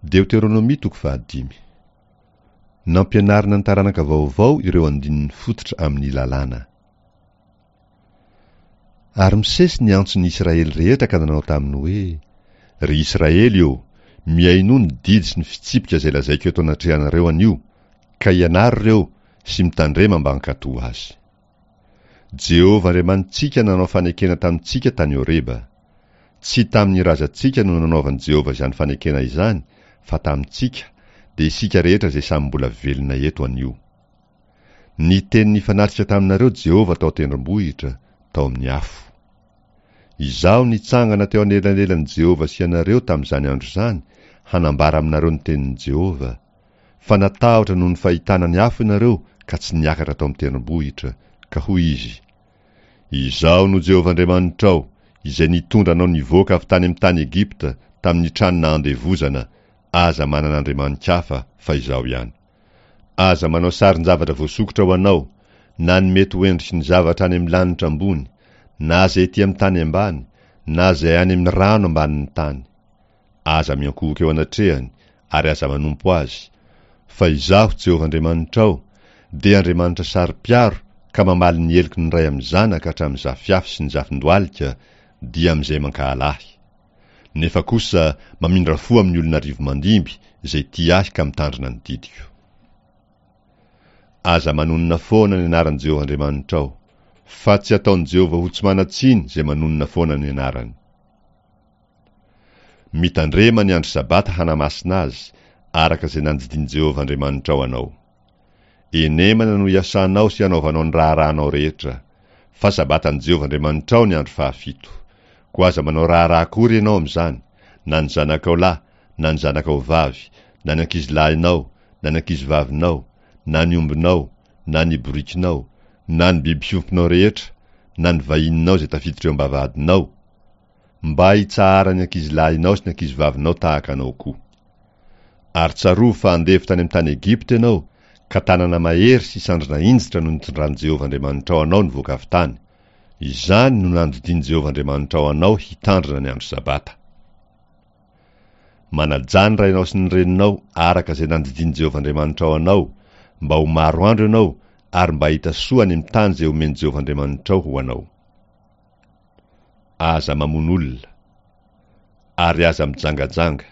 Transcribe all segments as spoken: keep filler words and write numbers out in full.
Deoteronomia toko fahadimy. Nampianarina ny taranaka vaovao ireo andininy fototra amin'ny lalàna. Ary Mosesy niantso ny Israely rehetra ka nanao taminy hoe: Ry Israely ô, mihainoa ny didy sy ny fitsipika izay lazaiko eto anatrehanareo anio, ka ianaro ireo sy mitandrema mba hankatò azy. Jehovah Andriamanitsika nanao fanekena tamintsika tany Horeba. Tsy tamin'ny razantsika no nanaovan'i Jehovah izany fanekena izany, fa tamintsika, dia isika rehetra izay samy mbola velona eto anio. Niteny nifanatrika taminareo Jehovah tao an-tendrombohitra, tao amin'ny afo. Izaho nitsangana teo anelanelan'i Jehovah sy ianareo tamin'izany andro izany, hanambara aminareo ny tenin'i Jehovah. Fa natahotra noho ny fahitana ny afo ianareo ka tsy niakatra tao amin'ny tendrombohitra, ka hoy izy: Izaho no Jehovah Andriamanitrao, izay nitondra anao nivoaka avy tany amin'ny tany Egypta, tamin'ny trano nahandevozana. Aza manana andriamani-kafa, fa izaho ihany. Aza manao sarin-javatra voasokitra ho anao, na ny mety ho endriky ny zavatra any amin'ny lanitra ambony, na izay ety amin'ny tany ambany, na izay any amin'ny rano ambanin'ny tany. Aza miankohoka eo anatrehany, ary aza manompo azy, fa izaho Jehovah Andriamanitrao, dia Andriamanitra saro-piaro ka mamaly ny heloky ny ray amin'ny zanaka hatramin'ny zafiafy sy ny zafin-dohalika, dia amin'izay mankahala ahy. Nefa kosa mamindra fo amin'ny olona arivo mandimby izay tia ahy ka mitandrina ny didiko. Aza manonona foana ny anaran'i Jehovah Andriamanitrao, fa tsy ataon'i Jehovah ho tsy manan-tsiny izay manonona foana ny anarany. Mitandrema ny andro sabata hanamasina azy, araka izay nandidian'i Jehovah Andriamanitrao anao. Enemana no iasanao sy anaovanao ny raharahanao rehetra, fa sabatan'i Jehovah Andriamanitrao ny andro fahafito. Koa aza manao raharaha akory ianao amin'izany, na ny zanakao lahy, na ny zanakao vavy, na ny ankizilahinao, na ny ankizivavinao, na ny ombinao, na ny borikinao, na ny biby fiompinao rehetra, na ny vahininao izay tafiditra eo am-bavahadinao, mba hitsaharan'ny ankizilahinao sy ny ankizivavinao tahaka anao koa. Ary tsarovy fa andevo tany amin'ny tany Egypta ianao, ka tanana mahery sy sandrina hinjitra no nitondran'i Jehovah Andriamanitrao anao nivoaka avy tany. Izany no nandidian'i Jehovah Andriamanitrao anao hitandrina ny andro sabata. Manajà ny rainao sy ny reninao araka izay nandidian'i Jehovah Andriamanitrao anao, mba ho maro andro ianao ary mba hahita soa any amin'ny tany izay omen'i Jehovah Andriamanitrao ho anao. Aza mamono olona, ary aza mijangajanga,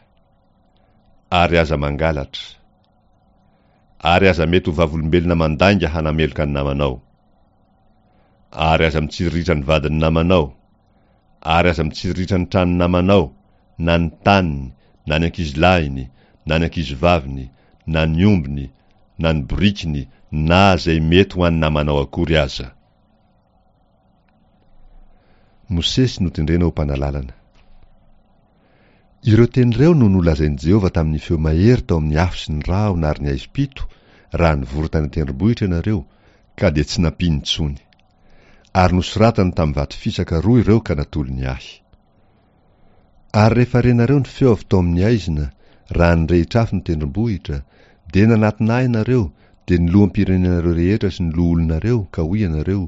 ary aza mangalatra, ary aza mety ho vavolombelona mandainga hanameloka ny namanao, ary aza mitsiriritra ny vadin'ny namanao, ary aza mitsiriritra ny tranon'ny namanao, na ny taniny, na ny ankizilahiny, na ny ankizivaviny, na ny ombiny, na ny borikiny, na izay mety ho an'ny namanao akory aza. Mosesy notendrena ho mpanalalana. Ireo teny ireo no nolazain'i Jehovah tamin'ny feo mahery tao amin'ny afo sy ny rahona ary ny haizim-pito, raha nivory tany an-tendrombohitra ianareo, ka dia tsy nampiany intsony. Ary nosoratany tamin'ny vato fisaka roa ireo ka natolony ahy. Ary rehefa renareo ny feo avy tao amin'ny haizina, raha nirehitra afo ny tendrombohitra, dia nanatona ahy ianareo, dia ny loham-pirenenareo rehetra sy ny loholonareo, ka hoy ianareo: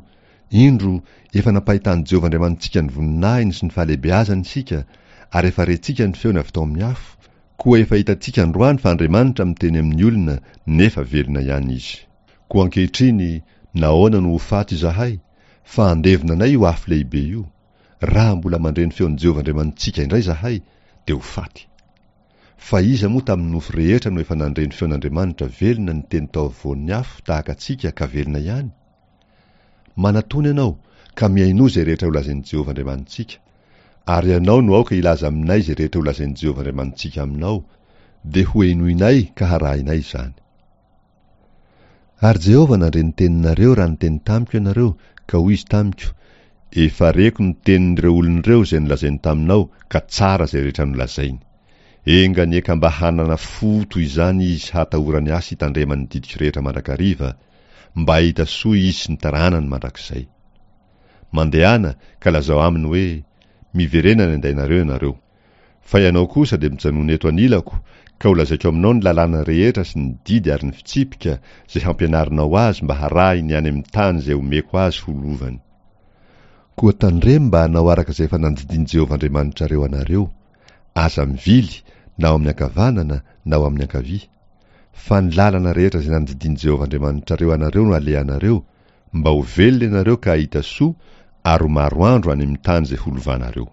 Indro, efa nampahitan'i Jehovah Andriamanitsika ny voninahiny sy ny fahalehibeazany isika, ary efa rentsika ny feony avy tao amin'ny afo, koa efa hitantsika androany fa Andriamanitra miteny amin'ny olona, nefa velona ihany izy. Koa ankehitriny, nahoana no ho faty izahay? Fa handevona anay io afo lehibe io. Raha mbola mandre ny feon'i Jehovah Andriamanitsika indray izahay, dia ho faty. Fa iza moa tamin'ny nofo rehetra no efa nandre ny feon'Andriamanitra velona niteny tao afovoan'ny afo tahaka antsika ka velona ihany? Manatona ianao, ka mihainoa izay rehetra holazain'i Jehovah Andriamanitsika. Ary ianao no aoka hilaza aminay izay rehetra holazain'i Jehovah Andriamanitsika aminao, dia hohenoinay ka harahinay izany. Ary Jehovah nandre ny teninareo raha niteny tamiko ianareo, ka hoy izy tamiko: Efa reko ny tenin'ireo olona ireo izay nolazainy taminao, ka tsara izay rehetra nolazainy. Enga anie ka mba hanana fo toy izany izy hatahorany ahy sy hitandremany ny didiko rehetra mandrakariva, mba hahita soa izy sy ny taranany mandrakizay. Mandehana ka lazao aminy hoe: Miverena any an-dainareo ianareo. Fa ianao kosa dia mijanona eto anilako, ka holazaiko aminao ny lalàna rehetra sy ny didy ary ny fitsipika izay hampianarinao azy mba harahiny any amin'ny tany izay omeko azy ho lovany. Koa tandremo mba hanao araka izay efa nandidian'i Jehovah Andriamanitrareo anareo. Aza mivily na ho amin'ny ankavanana na ho amin'ny ankavia, fa ny lalana rehetra izay nandidian'i Jehovah Andriamanitrareo anareo no alehanareo, mba ho velona ianareo ka hahita soa ary ho maro andro any amin'ny tany izay holovanareo.